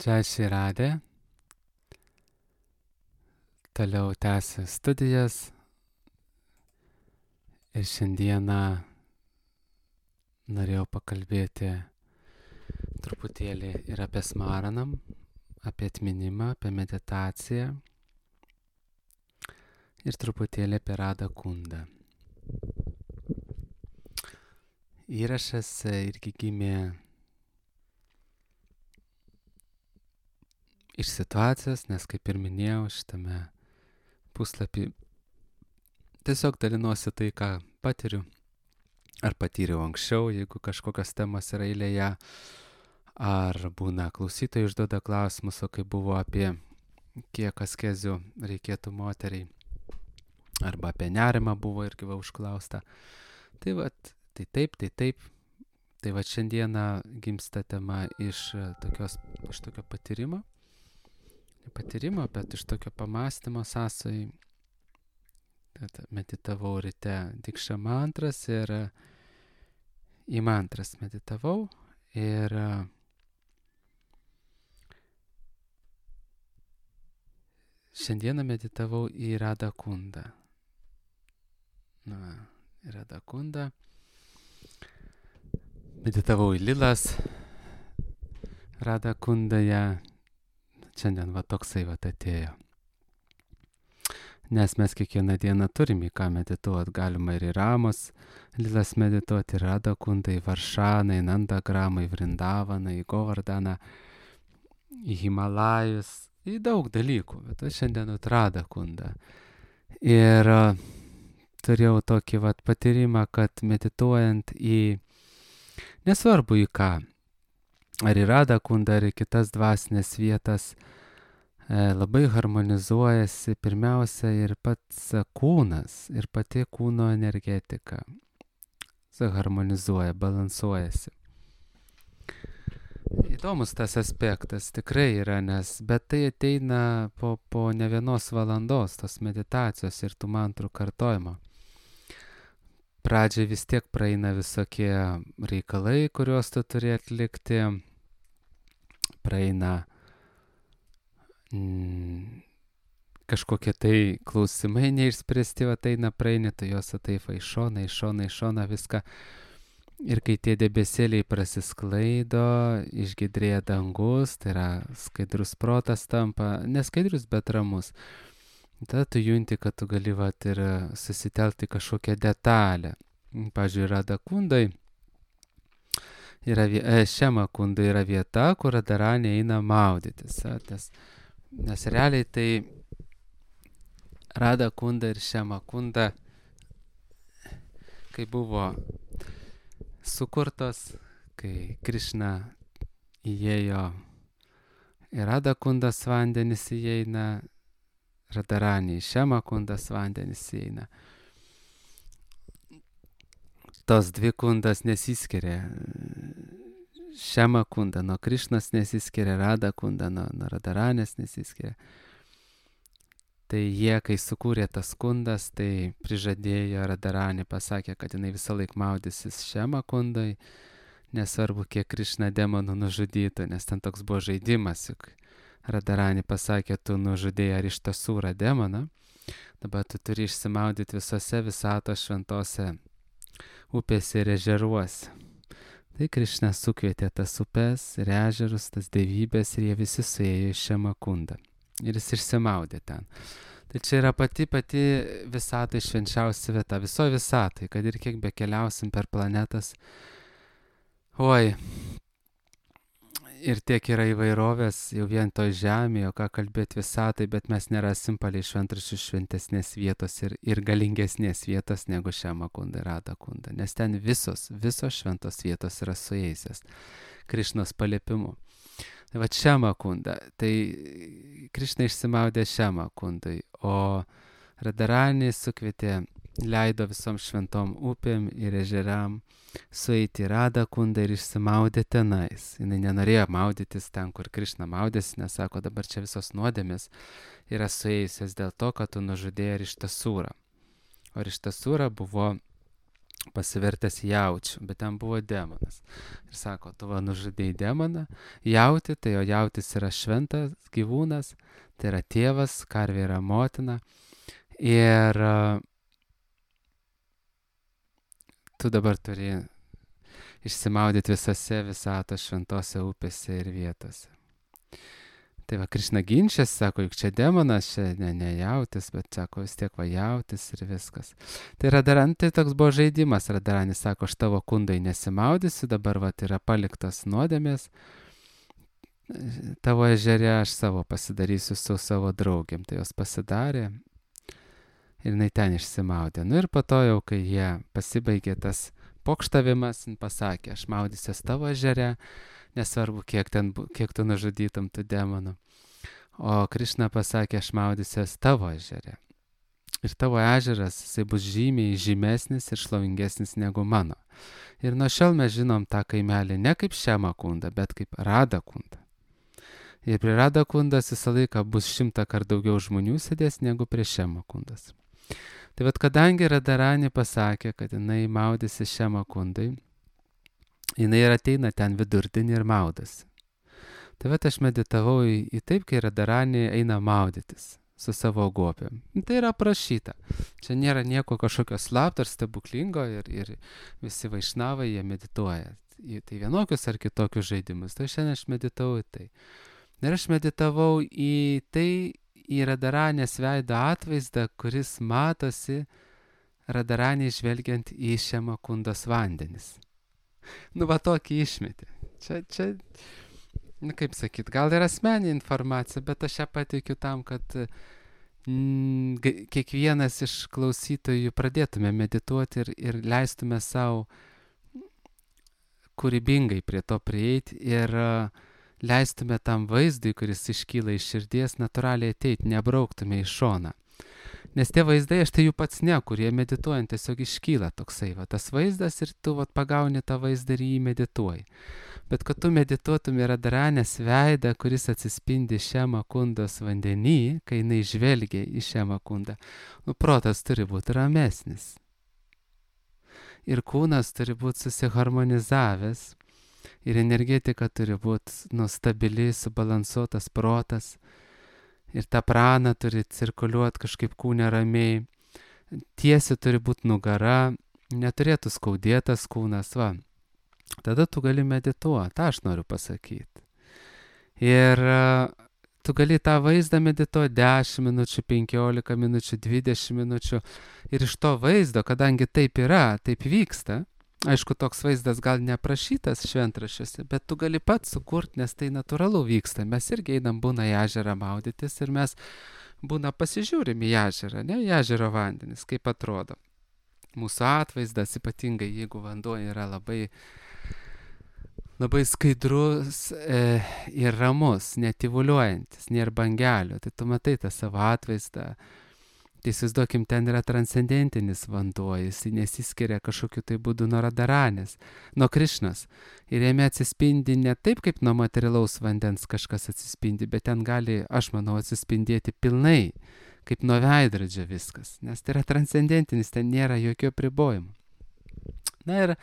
Čia Širadė, toliau tęsiu studijas ir šiandieną norėjau pakalbėti truputėlį ir apie smaranam, apie atminimą, apie meditaciją ir truputėlį apie Radha Kundą. Įrašas irgi gimė iš situacijos, nes kaip ir minėjau šitame puslapį, tiesiog dalinuosi tai, ką patiriu ar patyriau anksčiau, jeigu kažkokios temos yra eilėje, ar būna klausytojai užduoda klausimus, o kaip buvo apie kiek askezių reikėtų moteriai, arba apie nerimą buvo irgi užklausta. Tai taip. Tai šiandieną gimsta tema iš tokio patyrimo, bet iš tokio pamąstymo sąsai. Meditavau ryte dikša mantras ir į mantras meditavau ir šiandieną meditavau į Radha Kundą. Radha Kundą. Meditavau į lilas Radha Kundoje. Šiandien toksai atėjo. Nes mes kiekvieną dieną turim į ką medituoti. Galima ir į Ramos lilas medituoti, į Radha Kundą, į Varšaną, į Nandagramą, į Vrindavaną, į Govardaną, į Himalajus, į daug dalykų. Bet šiandien Radha Kundą. Ir turėjau tokį patyrimą, kad medituojant į, nesvarbu į ką, ar į Radha Kundą, ar į kitas dvasinės vietas, labai harmonizuojasi pirmiausia ir pats kūnas, ir pati kūno energetika. Harmonizuoja, balansuojasi. Įdomus tas aspektas tikrai yra, bet tai ateina po ne vienos valandos tos meditacijos ir tų mantrų kartojimo. Pradžiai vis tiek praeina visokie reikalai, kuriuos tu turi atlikti. Praeina kažkokie tai klausimai neišspręsti, praeini, tu juos taip iš šoną viską. Ir kai tie debesėliai prasisklaido, išgidrėja dangus, tai yra skaidrus protas tampa, neskaidrus, bet ramus. Tada tu junti, kad tu gali ir susitelkti kažkokią detalę. Pavyzdžiui, Radha Kundai, Šiama Kunda yra vieta, kur Radharani eina maudytis. Nes realiai tai Radha Kunda ir Šiama Kunda, kai buvo sukurtos, kai Krišna įėjo į Radha Kundas vandenis įeina, Radharani į Šiama Kundas vandenis įeina. Tos dvi kundas nesiskiria. Šiama Kunda nuo Krišnos nesiskiria, Radha Kunda nuo Radharanės nesiskiria. Tai jie, kai sukūrė tas kundas, tai prižadėjo Radharani, pasakė, kad jinai visą laiką maudysis Šiama Kundai, nesvarbu, kiek Krišna demonų nužudytų, nes ten toks buvo žaidimas, juk Radharani pasakė, tu nužudėjai Arištasūrą demoną, dabar tu turi išsimaudyti visose visatos šventose upėse ir ežeruose. Tai Krišna sukvietė tas upės ir ežerus, tas dievybės ir jie visi suėjo į Šiama Kundą. Ir jis išsimaudė ten. Tai čia yra pati visatai švenčiausia vieta, visoje visatai, kad ir kiek bekeliausim per planetas. Ir tiek yra įvairovės jau vien toj žemėje, o ką kalbėti visatai, bet mes nerasim palei šventraščių šventesnės vietos ir galingesnės vietos negu Šiama Kunda ir Radha Kunda. Nes ten visos šventos vietos yra suėjusios Krišnos paliepimu. Tai Šiama Kunda, tai Krišna išsimaudė Šiama Kundai, o Radharani sukvietė, leido visom šventom upėm ir ežeram sueiti į Radha Kundą ir išsimaudė tenais. Jis nenorėjo maudytis ten, kur Krišna maudėsi, nes sako, dabar čia visos nuodėmės yra suėjusios dėl to, kad tu nužudėjai Arištasūrą. O Arištasūra buvo pasivertęs jaučiu, bet ten buvo demonas. Ir sako, tu va nužudėjai demoną, jauti, tai jo jautis yra šventas gyvūnas, tai yra tėvas, karvė yra motina. Ir tu dabar turi išsimaudyti visose visatos šventose upėse ir vietose. Tai va, Krišna ginčiasi, sako, juk čia demonas, čia ne jautis, bet sako, vis tiek va jautis ir viskas. Tai Radharani, tai toks buvo žaidimas, Radharani sako, aš tavo kundai nesimaudysiu, dabar va yra paliktas nuodėmės, tavo ežere aš savo pasidarysiu su savo draugiam. Tai jos pasidarė ir jinai ten išsimaudė. Nu ir po to jau, kai jie pasibaigė tas pokštavimas, pasakė, aš maudysiuos tavo ežere, nesvarbu, kiek tu nužudytum tų demonų. O Krišna pasakė, aš maudysiuos tavo ežere. Ir tavo ežeras, jisai bus žymiai žymesnis ir šlovingesnis negu mano. Ir nuo šiol mes žinom tą kaimelį ne kaip Šema kunda, bet kaip Rada kunda. Ir prie Rada kundas visą laiką bus 100 kart daugiau žmonių sėdės negu prie Šema kundas. Tai vat kadangi Radharani pasakė, kad jinai maudysi Šema kundai, jinai ir ateina ten vidurdienį ir maudasi. Tai vat aš meditavau į taip, kai Radharani eina maudytis su savo gopėm. Tai yra aprašyta. Čia nėra nieko kažkokio slapto ar stebuklingo ir visi vaišnavai jie medituoja. Tai vienokius ar kitokius žaidimus. Tai šiandien aš meditavau į tai. Ir aš meditavau į tai, į Radharanės veido atvaizdą, kuris matosi Radharani žvelgiant į Šema kundos vandenis. Nu, va tokį išmetė. Čia, nu, kaip sakyt, gal ir asmeninė informacija, bet aš ją pateikiu tam, kad kiekvienas iš klausytojų pradėtume medituoti ir leistume savo kūrybingai prie to prieiti ir leistume tam vaizdui, kuris iškyla iš širdies, natūraliai ateiti, nebrauktume į šoną. Nes tie vaizdai, aš tai jų pats nekuriu, jie medituojant tiesiog iškyla toksai, va, tas vaizdas ir tu va, pagauni tą vaizdą ir jį medituoji. Bet kad tu medituotum į Radharanės veidą, kuris atsispindi Šema kundos vandenį, kai jinai žvelgia į Šema kundą, nu, protas turi būti ramesnis. Ir kūnas turi būti susiharmonizavęs, ir energetika turi būti stabili, subalansuotas protas. Ir ta prana turi cirkuliuoti kažkaip kūne ramiai. Tiesi turi būti nugara, neturėtų skaudėtas kūnas, va. Tada tu gali medituoti, tą aš noriu pasakyti. Ir tu gali tą vaizdą medituoti 10 minučių, 15 minučių, 20 minučių. Ir iš to vaizdo, kadangi taip yra, taip vyksta, aišku, toks vaizdas gal neaprašytas šventraščiuose, bet tu gali pats sukurti, nes tai natūralu vyksta. Mes irgi einam būna į ežerą maudytis ir mes būna pasižiūrim į ežerą, ne, į ežero vandenis, kaip atrodo. Mūsų atvaizdas, ypatingai jeigu vanduo yra labai skaidrus ir ramus, netyvuliuojantis, nėra bangelių, tai tu matai tą savo atvaizdą. Tai įsivaizduokim, ten yra transcendentinis vanduo, jis nesiskiria kažkokiu tai būdu nuo Radharanės, nuo Krišnos. Ir jame atsispindi ne taip, kaip nuo materialaus vandens kažkas atsispindi, bet ten gali, aš manau, atsispindėti pilnai, kaip nuo veidrodžio viskas. Nes tai yra transcendentinis, ten nėra jokių apribojimų. Na ir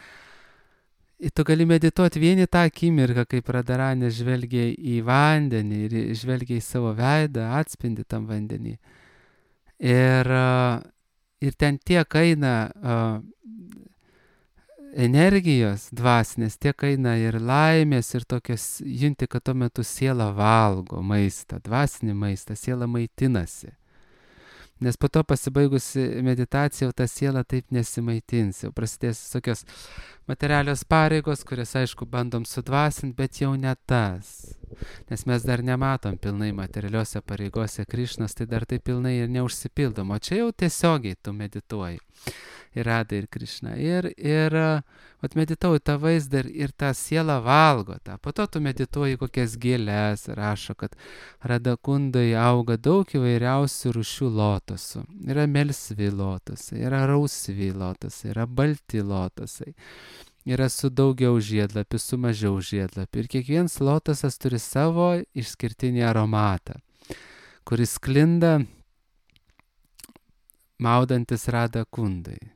tu gali medituoti vieni tą akimirką, kaip Radharanė žvelgia į vandenį ir žvelgia į savo veidą, atspindi tam vandenį. Ir ten tiek eina energijos dvasinės, tiek eina ir laimės, ir tokios, junti, kad tuo metu siela valgo maistą, dvasinį maistą, siela maitinasi. Nes po to pasibaigusi meditacija, ta siela taip nesimaitins, jau prasidės tokios materialios pareigos, kurias, aišku, bandom sudvasinti, bet jau ne tas. Nes mes dar nematom pilnai materialiuose pareigose Krišnos, tai dar tai pilnai ir neužsipildom, o čia jau tiesiogiai tu medituoji. Ir Rada, ir Krišna. Ir medituoju tą vaizdą ir tą sielą valgo tą. Po to tu medituoji kokias gėles, rašo, kad Rada kundai auga daug įvairiausių rūšių lotosų. Yra melsvi lotosai, yra rausvi lotosai, yra balti lotosai. Yra su daugiau žiedlapių, su mažiau žiedlapių. Ir kiekvienas lotosas turi savo išskirtinį aromatą, kuris sklinda maudantis Rada kundai.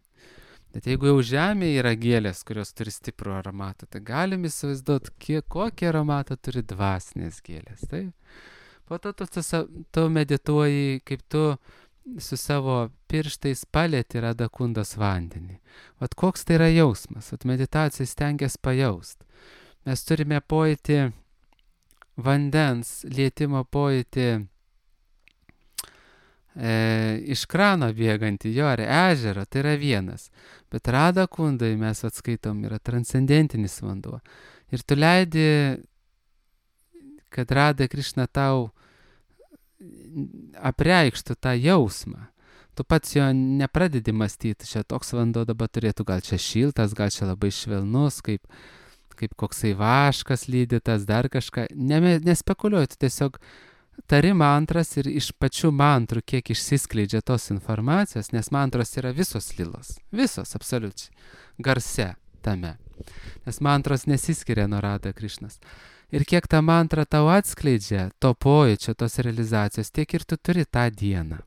Bet jeigu jau žemėje yra gėlės, kurios turi stiprų aromatą, tai galim įsivaizduoti, kokį aromatą turi dvasinės gėlės. Tai po to tu medituoji, kaip tu su savo pirštais palėti Radakundos vandenį. Vat koks tai yra jausmas, vat meditacija stengiasi pajaust. Mes turime pojūtį vandens, lietimo pojūtį iš krano bėgantį, jo, ar ežero, tai yra vienas. Bet Radakundai mes atskaitom, yra transcendentinis vanduo. Ir tu leidi, kad Rada Krišna tau apreikštų tą jausmą. Tu pats jo nepradedi mąstyti, čia toks vanduo dabar turėtų, gal čia šiltas, gal čia labai švelnus, kaip koksai vaškas lydytas, dar kažką. Nespekuliuoji, tu tiesiog tari mantras ir iš pačių mantrų, kiek išsiskleidžia tos informacijos, nes mantros yra visos lilos. Visos, absoliučiai. Garse tame. Nes mantros nesiskiria nuo Rada Krišnos. Ir kiek ta mantra tau atskleidžia to pojūčio, tos realizacijos, tiek ir tu turi tą dieną.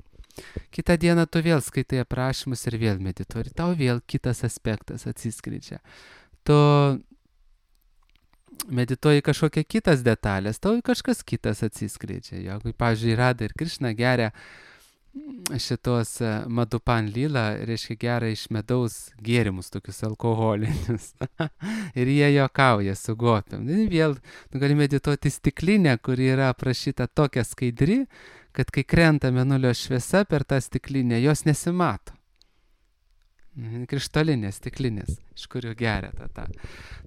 Kitą dieną tu vėl skaitai aprašymus ir vėl medituoji. Tau vėl kitas aspektas atsiskleidžia. Tu medituoji kažkokia kitas detalės, tau kažkas kitas atsiskleidžia. Jeigu, pavyzdžiui, Rada ir Krišna geria šitos Madhupan lila, reiškia geria iš medaus gėrimus, tokius alkoholinius. Ir jie juokauja su gopiam. Vėl gali medituoti stiklinę, kuri yra aprašyta tokia skaidri, kad kai krenta mėnulio šviesa per tą stiklinę, jos nesimato. Krištolinės stiklinės, iš kurių geria tą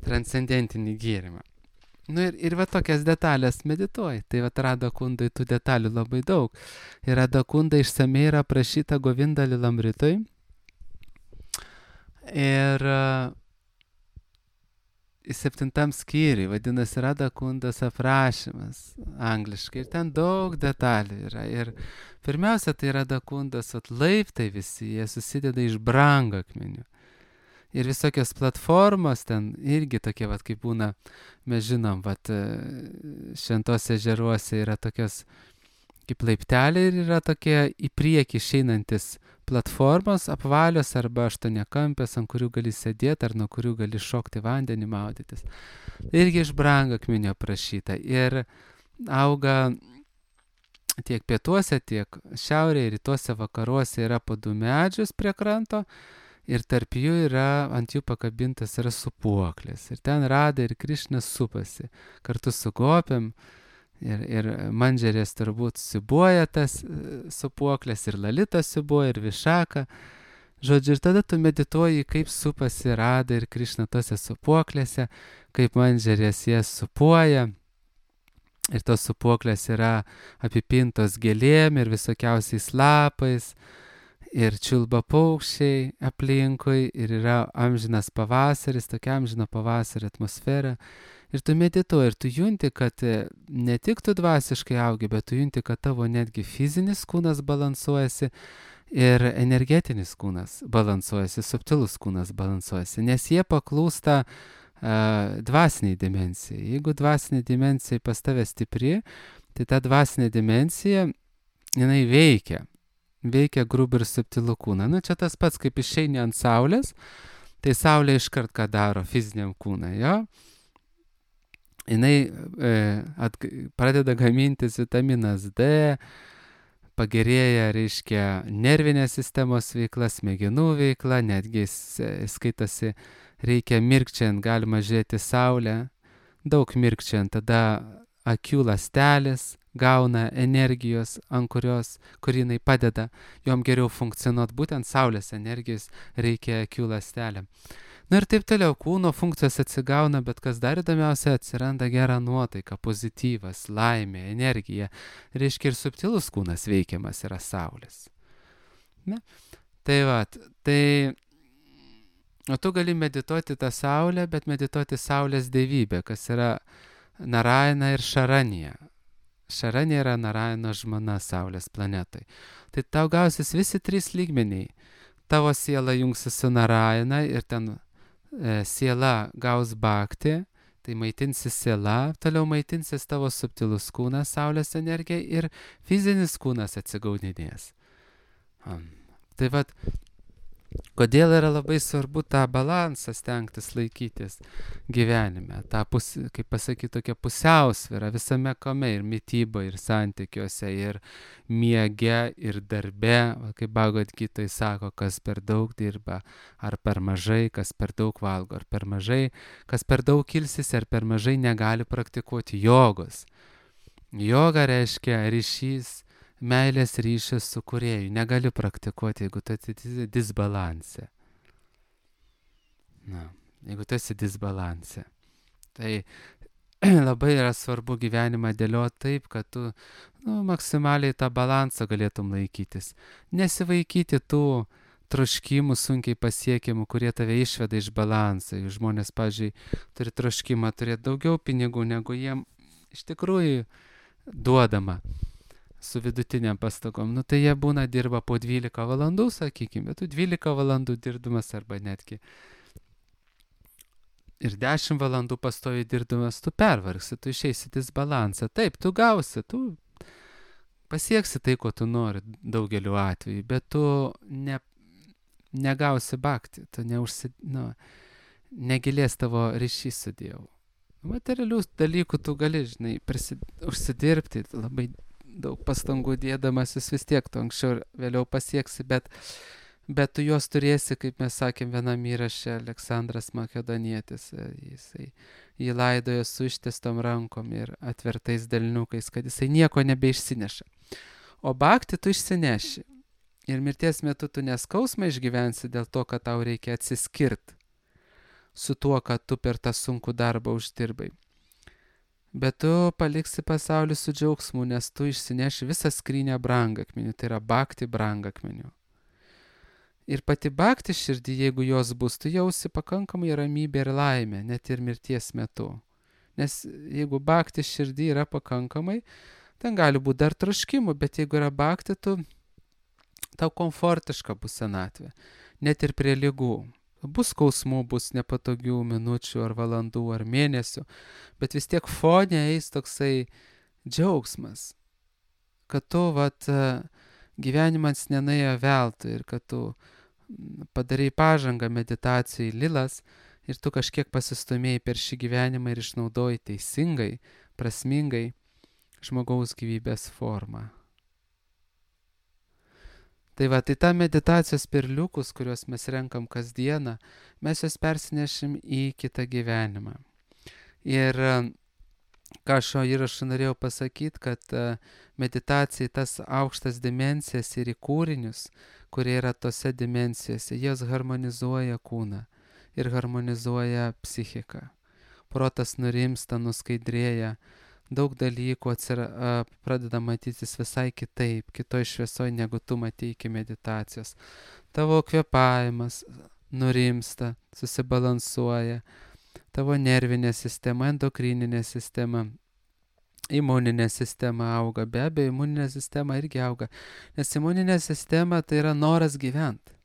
transcendentinį gėrimą. Ir va tokias detalės medituoji. Tai va Radakundai tų detalių labai daug. Ir Radakunda išsamei yra aprašyta Govinda Lilamritoj. Ir 7 skyriui, vadinasi Radakundos aprašymas angliškai. Ir ten daug detalių yra. Ir pirmiausia, tai Radakundos laiptai visi, jie susideda iš brangakmenių. Ir visokios platformos ten irgi tokie, kaip būna, mes žinom, šventose ežeruose yra tokios kaip laipteliai ir yra tokie į priekį išeinantis platformos, apvalios arba aštuoniakampės, ant kurių gali sėdėti ar nuo kurių gali šokti vandenį, maudytis. Irgi iš brangakmenio aprašyta. Ir auga tiek pietuose, tiek šiaurėje, rytuose, vakaruose yra po 2 medžius prie kranto. Ir tarp jų yra, ant jų pakabintas yra supuoklės. Ir ten Rada ir Krišna supasi kartu su gopiam. Ir Mandžerės turbūt siubuoja tas supuoklės, ir Lalita siubuoja, ir Višaka. Žodžiu, ir tada tu medituoji, kaip supasi Rada ir Krišna tose supuoklėse, kaip Mandžerės jas supuoja. Ir tos supuoklės yra apipintos gėlėm ir visokiausiais lapais. Ir čiulba paukščiai aplinkui, ir yra amžinas pavasaris, tokia amžina pavasario atmosfera. Ir tu medituoji, ir tu junti, kad ne tik tu dvasiškai augi, bet tu junti, kad tavo netgi fizinis kūnas balansuojasi ir energetinis kūnas balansuojasi, subtilus kūnas balansuojasi, nes jie paklūsta dvasiniai dimensijai. Jeigu dvasinė dimensija pas tave stipri, tai ta dvasinė dimensija, jinai veikia grubų ir subtilų kūną. Čia tas pats, kaip išeini ant saulės, tai saulė iškart ką daro fiziniam kūnui, jo? Jinai pradeda gamintis vitaminas D, pagerėja, reiškia, nervinės sistemos veikla, smegenų veikla, netgi skaitasi, reikia mirkčiant, galima žiūrėti saulę, daug mirkčiant, tada akių ląstelės gauna energijos, ant kur jinai padeda jom geriau funkcionuoti, būtent saulės energijos reikia akių ląstelėm. Ir taip toliau, kūno funkcijos atsigauna, bet kas dar įdomiausia, atsiranda gera nuotaika, pozityvas, laimė, energija. Reiškia, ir subtilus kūnas veikiamas yra saulės. Ne? O tu gali medituoti tą saulę, bet medituoti saulės dievybę, kas yra Narayana ir Šaranija. Šaranija yra Narayano žmona saulės planetai. Tai tau gausis visi 3 lygmeniai. Tavo siela jungsis su Narayana ir ten siela gaus bhakti, tai maitinsis siela, toliau maitinsis tavo subtilus kūnas, saulės energija ir fizinis kūnas atsigaudinės. Tai Kodėl yra labai svarbu tą balansą stengtis laikytis gyvenime, tą, kaip pasakyti, tokią pusiausvyrą visame kame, ir mytyboje, ir santykiuose, ir miege, ir darbe, kaip Bhagavad Gitoj sako, kas per daug dirba, ar per mažai, kas per daug valgo, ar per mažai, kas per daug ilsis, ar per mažai negali praktikuoti jogos. Joga reiškia ryšys, meilės ryšys su kūrėju. Negali praktikuoti, jeigu tu esi disbalanse. Jeigu tu esi disbalanse. Tai labai yra svarbu gyvenimą dėlioti taip, kad tu maksimaliai tą balansą galėtum laikytis. Nesivaikyti tų troškimų sunkiai pasiekiamų, kurie tave išveda iš balanso. Žmonės, pavyzdžiui, turi troškimą turėti daugiau pinigų, negu jiem iš tikrųjų duodama su vidutiniam pastangom. Tai jie dirba po 12 valandų, sakykime, bet tu 12 valandų dirbdamas arba netgi ir 10 valandų pastoviai dirbdamas, tu pervargsi, tu išeisi disbalansą. Taip, tu gausi, tu pasieksi tai, ko tu nori daugeliu atveju, bet tu negausi bhakti, tu negilės tavo ryšys su Dievu. Materialius dalykų tu gali, žinai, užsidirbti, labai daug pastangų dėdamasis vis tiek tu anksčiau ir vėliau pasieksi, bet tu juos turėsi, kaip mes sakėm vienam įraše, Aleksandras Makedonietis, jį laidojo su ištiestom rankom ir atvertais delniukais, kad jisai nieko nebeišsineša. O bhakti tu išsineši. Ir mirties metu tu neskausmą išgyvensi dėl to, kad tau reikia atsiskirti su tuo, kad tu per tą sunkų darbą uždirbai. Bet tu paliksi pasaulį su džiaugsmu, nes tu išsineši visą skrynę brangakmenių, tai yra bhakti brangakmenių. Ir pati bhakti širdį, jeigu jos bus, tu jausi pakankamai ramybę ir laimę, net ir mirties metu. Nes jeigu bhakti širdį yra pakankamai, ten gali būti dar troškimų, bet jeigu yra bhakti, tau komfortiška bus senatvė, net ir prie ligų. Bus skausmų, bus nepatogių minučių ar valandų ar mėnesių, bet vis tiek fone eis toksai džiaugsmas, kad tu gyvenimas nenuėjo veltui ir kad tu padarai pažangą meditacijai lilas ir tu kažkiek pasistumėjai per šį gyvenimą ir išnaudoji teisingai, prasmingai žmogaus gyvybės formą. Tai ta meditacijos perliukus, kuriuos mes renkam kasdieną, mes juos persinešim į kitą gyvenimą. Ir ką šio įrašo norėjau pasakyti, kad meditacija tas aukštas dimensijas ir į kūrinius, kurie yra tose dimensijose, jos harmonizuoja kūną ir harmonizuoja psichiką. Protas nurimsta, nuskaidrėja, daug dalykų pradeda matytis visai kitaip, kitoj šviesoj, negu tu matei iki meditacijos. Tavo kvėpavimas nurimsta, susibalansuoja, tavo nervinė sistema, endokrininė sistema, imuninė sistema auga, be abejo, imuninė sistema irgi auga, nes imuninė sistema tai yra noras gyventi.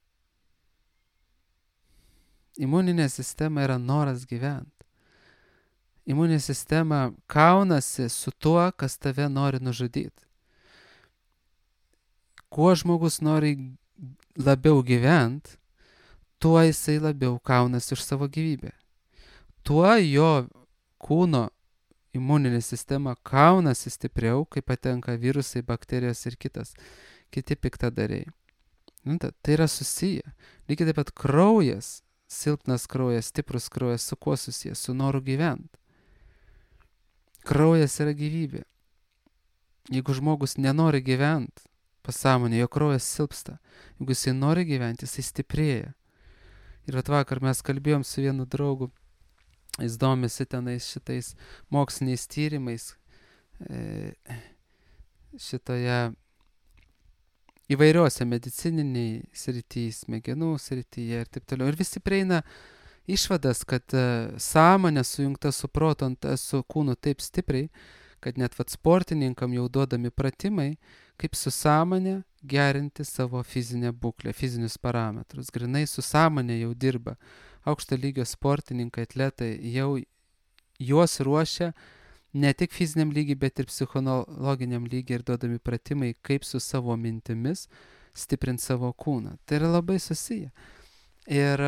Imuninė sistema yra noras gyventi. Imuninė sistema kaunasi su tuo, kas tave nori nužudyti. Kuo žmogus nori labiau gyventi, tuo jisai labiau kaunasi už savo gyvybę. Tuo jo kūno imuninė sistema kaunasi stipriau, kai patenka virusai, bakterijos ir kiti piktadariai. Tai yra susiję. Lygiai taip pat kraujas, silpnas kraujas, stiprus kraujas, su kuo susijęs? Su noru gyventi. Kraujas yra gyvybė. Jeigu žmogus nenori gyventi, pasąmonė, jo kraujas silpsta. Jeigu jisai nori gyventi, jisai stiprėja. Ir vakar mes kalbėjom su vienu draugu, jis domisi tenais šitais moksliniais tyrimais, šitoje įvairiuose medicininiai srityje, smegenų srityje ir taip toliau. Ir visi prieina išvadas, kad sąmonė sujungta su protu, su kūnu taip stipriai, kad net sportininkam jau duodami pratimai, kaip su sąmonė gerinti savo fizinę būklę, fizinius parametrus. Grinai su sąmonė jau dirba. Aukšto lygio sportininkai, atletai jau juos ruošia ne tik fiziniam lygiai, bet ir psichologiniam lygiai ir duodami pratimai, kaip su savo mintimis stiprinti savo kūną. Tai yra labai susiję. Ir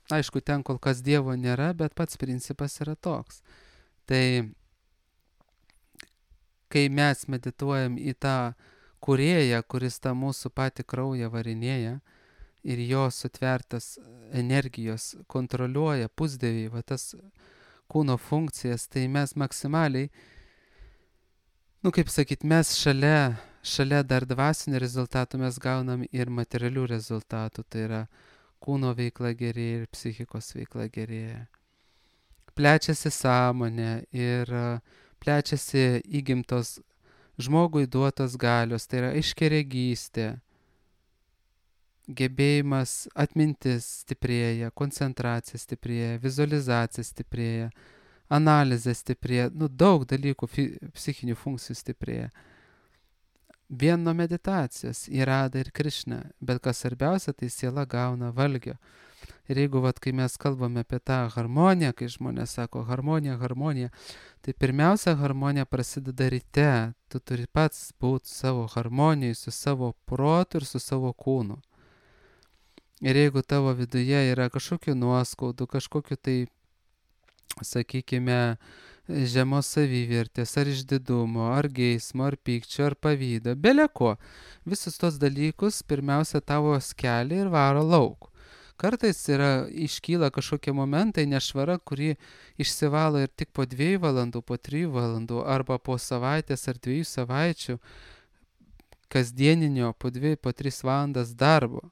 aišku, ten kol kas Dievo nėra, bet pats principas yra toks. Tai kai mes medituojam į tą kūrėją, kuris tą mūsų patį kraują varinėja ir jo sutvertas energijos kontroliuoja pusdieviai, va tas kūno funkcijas, tai mes maksimaliai, kaip sakyt, mes šalia dar dvasinių rezultatų mes gaunam ir materialių rezultatų, tai yra kūno veikla gerėja ir psichikos veikla gerėja. Plečiasi sąmonė ir plečiasi įgimtos žmogui duotos galios, tai yra aiškiaregystė, gebėjimas, atmintis stiprėja, koncentracija stiprėja, vizualizacija stiprėja, analizė stiprėja, daug dalykų psichinių funkcijų stiprėja. Vien nuo meditacijos į Radą ir Krišną, bet kas svarbiausia, tai siela gauna valgio. Ir jeigu, kai mes kalbame apie tą harmoniją, kai žmonės sako harmonija, tai pirmiausia harmonija prasideda ryte. Tu turi pats būti savo harmonijai, su savo protu ir su savo kūnu. Ir jeigu tavo viduje yra kažkokių nuoskaudų, kažkokių tai, sakykime, žemos savivertės, ar išdidumo, ar geismo, ar pykčio, ar pavydo, beleko, visus tos dalykus pirmiausia tavo skelia ir varo lauk. Kartais iškyla kažkokie momentai nešvara, kuri išsivalo ir tik po 2 valandų, po 3 valandų, arba po savaitės ar 2 savaičių kasdieninio po 2, po 3 valandas darbo.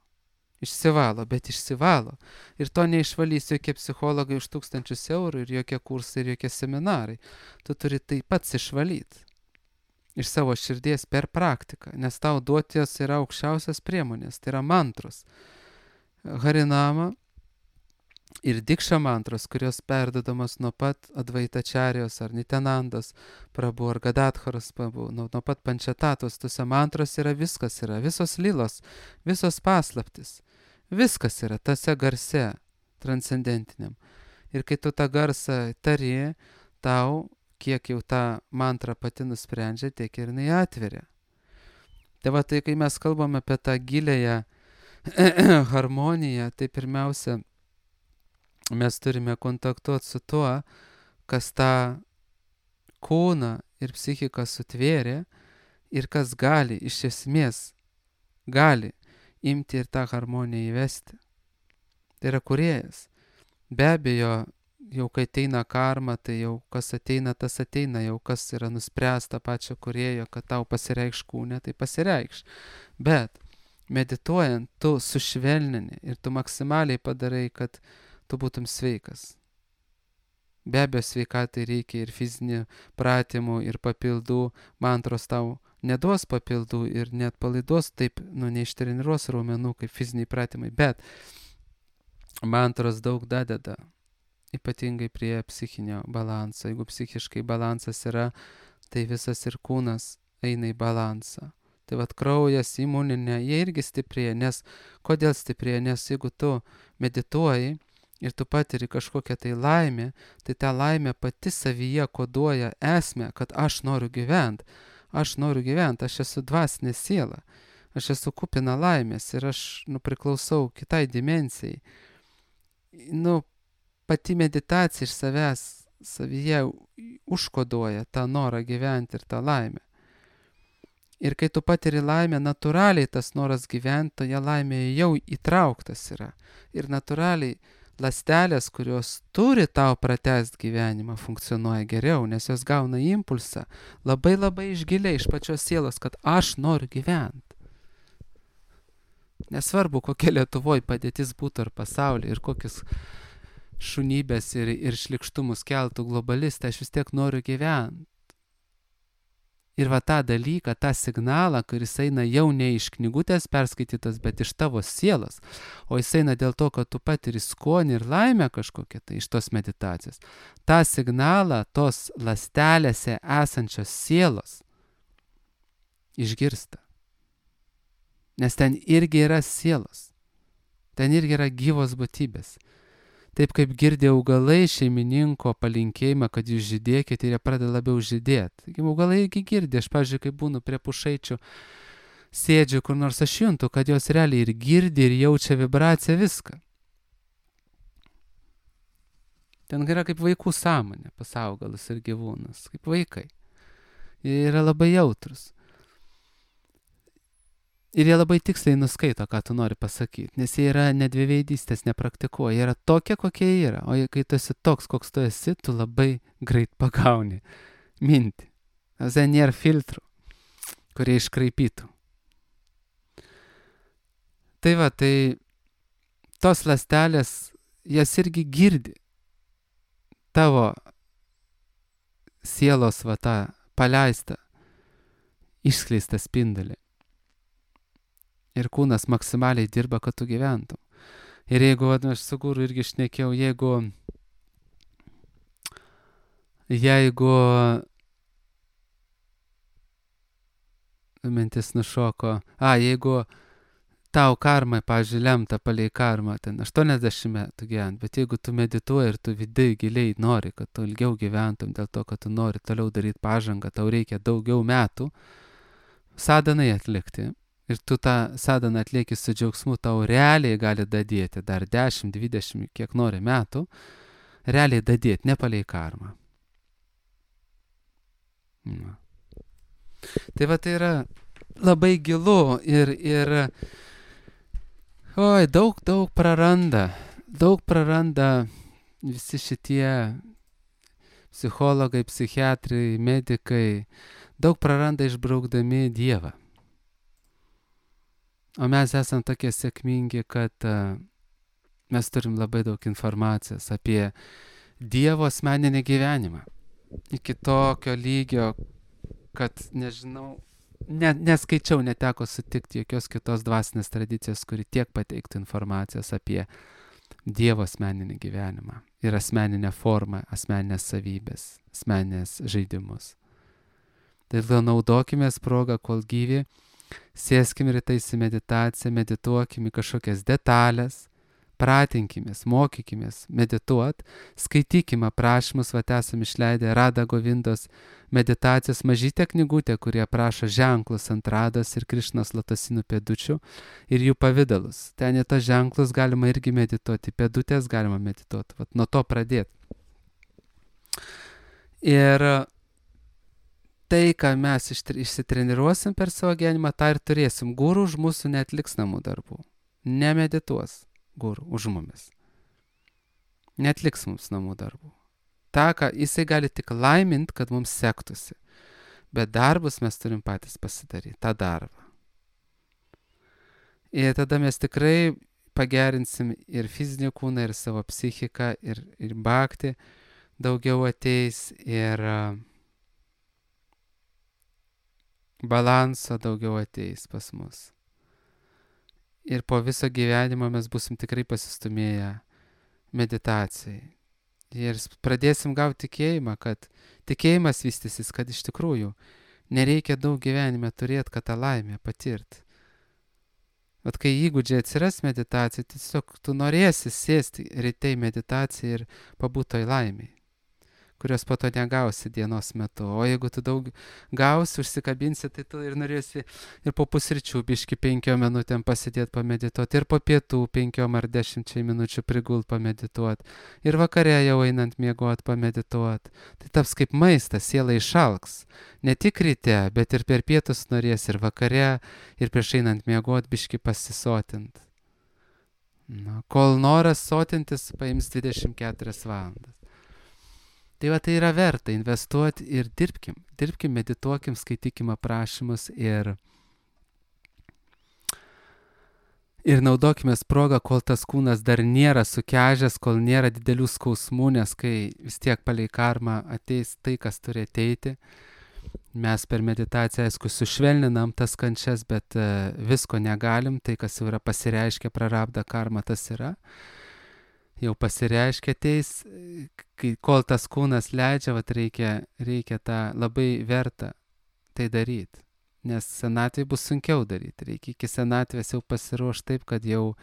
Išsivalo, bet išsivalo. Ir to neišvalys jokie psichologai už 1000 eurų ir jokie kursai ir jokie seminarai. Tu turi tai pats išvalyti iš savo širdies per praktiką, nes tau duoties yra aukščiausias priemonės, tai yra mantros. Harinama ir dikša mantros, kurios perdodamas nuo pat Advaitačarijos ar Nitenandos Prabhu ar Gadatharos Prabhu, nuo pat Pančatatos, tuose mantros yra viskas, yra visos lilos, visos paslaptis. Viskas yra tose garse transcendentiniam. Ir kai tu tą garsą tari, tau, kiek jau tą mantrą pati nusprendžia, tiek ir jinai atveria. Tai tai kai mes kalbame apie tą gilėją harmoniją, tai pirmiausia, mes turime kontaktuoti su tuo, kas tą kūną ir psichiką sutvėrė ir kas gali, iš esmės, gali imti ir tą harmoniją įvesti. Tai yra kūrėjas. Be abejo, jau kai ateina karma, tai jau kas ateina, tas ateina, jau kas yra nuspręsta pačio kūrėjo, kad tau pasireikš kūne, tai pasireikš. Bet medituojant, tu sušvelnini ir tu maksimaliai padarai, kad tu būtum sveikas. Be abejo, sveikatai reikia ir fizinių pratimų, ir papildų. Mantros tau neduos papildų ir net palaiduos taip, neištreniruos raumenų kaip fiziniai pratimai, bet mantros daug dadeda, ypatingai prie psichinio balanso. Jeigu psichiškai balansas yra, tai visas ir kūnas eina į balansą. Tai kraujas, imuninė, jie irgi stiprėja, nes kodėl stiprėja? Nes jeigu tu medituoji ir tu patiri kažkokią tai laimę, tai ta laimė pati savyje koduoja esmę, kad aš noriu gyventi, aš esu dvasinė siela, aš esu kupina laimės ir aš priklausau kitai dimensijai. Pati meditacija iš savęs savyje užkoduoja tą norą gyventi ir tą laimę. Ir kai tu patiri laimę, natūraliai tas noras gyventi, toje laimėje jau įtrauktas yra. Ir natūraliai ląstelės, kurios turi tau pratęsti gyvenimą, funkcionuoja geriau, nes jos gauna impulsą labai labai iš giliai, iš pačios sielos, kad aš noriu gyventi. Nesvarbu, kokia Lietuvoje padėtis būtų ar pasaulyje ir kokius šunybės ir šlikštumus keltų globalistai, aš vis tiek noriu gyventi. Ir tą dalyką, tą signalą, kuris eina jau ne iš knygutės perskaitytas, bet iš tavo sielos, o jis eina dėl to, kad tu patiri skonį ir laimę kažkokią tai iš tos meditacijos. tą signalą tos ląstelėse esančios sielos išgirsta. Nes ten irgi yra sielos. Ten irgi yra gyvos būtybės. Taip kaip girdi augalai šeimininko palinkėjimą, kad jūs žydėkite ir jie pradeda labiau žydėti. Taigi augalai irgi girdi. Aš, pavyzdžiui, kai būnu prie pušaičių, sėdžiu kur nors, aš juntu, kad jos realiai ir girdi ir jaučia vibraciją viską. Ten yra kaip vaikų sąmonė pas augalus ir gyvūnus, kaip vaikai. Jie yra labai jautrus. Ir jie labai tiksliai nuskaito, ką tu nori pasakyti, nes jie yra nedviveidystės nepraktikuoja, jie yra tokie, kokie jie yra, o kai tu esi toks, koks tu esi, tu labai greit pagauni mintį. Ten nėra filtrų, kurie iškraipytų. Tai va, tai tos ląstelės, jas irgi girdi tavo sielos va tą paleistą, išskleistą spindulį. Ir kūnas maksimaliai dirba, kad tu gyventum. Ir jeigu, aš su guru irgi šnekėjau, jeigu mintis nušoko, jeigu tau karma, pavyzdžiui, lemta palei karmą, ten 80 metų gyvent, bet jeigu tu medituoji ir tu vidai giliai nori, kad tu ilgiau gyventum, dėl to, kad tu nori toliau daryti pažangą, tau reikia daugiau metų sadanai atlikti. Ir tu tą sadaną atlieki su džiaugsmu, tau realiai gali dadėti dar 10, 20, kiek nori metų, realiai dadėti, ne palei karmą. Na. Tai va, tai yra labai gilu ir daug praranda visi šitie psichologai, psichiatrai, medikai, daug praranda išbraukdami Dievą. O mes esam tokie sėkmingi, kad mes turim labai daug informacijos apie Dievo asmeninį gyvenimą. Iki tokio lygio, kad nežinau, neskaičiau, neteko sutikti jokios kitos dvasinės tradicijos, kuri tiek pateiktų informacijos apie Dievo asmeninį gyvenimą ir asmeninę formą, asmeninės savybės, asmeninės žaidimus. Tai naudokimės progą, kol gyvi, sėskim rytais į meditaciją, medituokim į kažkokias detalės, pratinkimės, mokykimės medituot, skaitykim aprašymus, esam išleidę Rada Govindos meditacijos mažytę knygutę, kurie aprašo ženklus ant Rados ir Krišnos lotosinų pėdučių ir jų pavidalus. Ten į tos ženklus galima irgi medituoti, pėdutės galima medituoti, nuo to pradėti. Ir tai, ką mes išsitreniruosim per savo gyvenimą, tą ir turėsim. Guru už mūsų neatliks namų darbų. Nemedituos guru už mumis. Neatliks mums namų darbų. Ta, ką jisai gali tik laimint, kad mums sektųsi. Bet darbus mes turim patys pasidaryti, tą darbą. Ir tada mes tikrai pagerinsim ir fizinį kūną, ir savo psichiką, ir bhakti daugiau ateis, ir balanso daugiau ateis pas mus. Ir po viso gyvenimo mes busim tikrai pasistumėję meditacijai. Ir pradėsim gauti tikėjimą, kad tikėjimas vystysis, kad iš tikrųjų nereikia daug gyvenime turėti, kad tą laimę patirt. Bet kai įgūdžiai atsiras meditacija, tiesiog tu norėsi sėsti ryte į meditaciją ir pabūt toj laimėj, kurios po to negausi dienos metu. O jeigu tu daug gausi, užsikabinsi, tai tu ir norėsi ir po pusryčių biški 5 minutėm pasidėti pamedituoti, ir po pietų 5 ar 10 minučių prigult pamedituoti, ir vakare jau einant miegot pamedituoti. Tai taps kaip maistas, siela išalks. Ne tik ryte, bet ir per pietus norės, ir vakare, ir prieš einant miegot biški pasisotint. Kol noras sotintis, paims 24 valandas. Tai va, tai yra verta investuoti ir dirbkim, medituokim, skaitykim aprašymus ir naudokimės progą, kol tas kūnas dar nėra sukežęs, kol nėra didelių skausmų, nes kai vis tiek palei karmą ateis tai, kas turi ateiti. Mes per meditaciją, aišku, sušvelninam tas kančias, bet visko negalim, tai kas jau yra pasireiškę prarabda karma, tas yra. Jau pasireiškia ateis, kol tas kūnas leidžia, reikia tą labai verta tai daryti. Nes senatvėje bus sunkiau daryti. Reikia iki senatvės jau pasiruošti taip, kad jau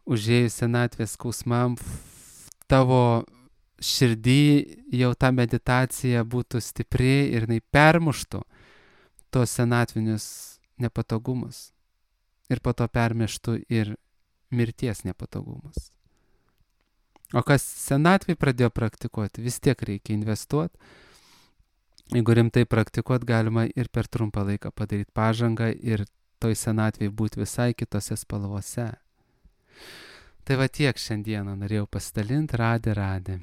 užėjus senatvės skausmam tavo širdį jau ta meditacija būtų stipri ir jinai permuštų tos senatvinius nepatogumus. Ir po to permeštų ir mirties nepatogumus. O kas senatvėj pradėjo praktikuoti, vis tiek reikia investuoti. Jeigu rimtai praktikuoti, galima ir per trumpą laiką padaryti pažangą ir toj senatvėj būti visai kitose spalvose. Tai va tiek šiandieną norėjau pasidalinti, radė.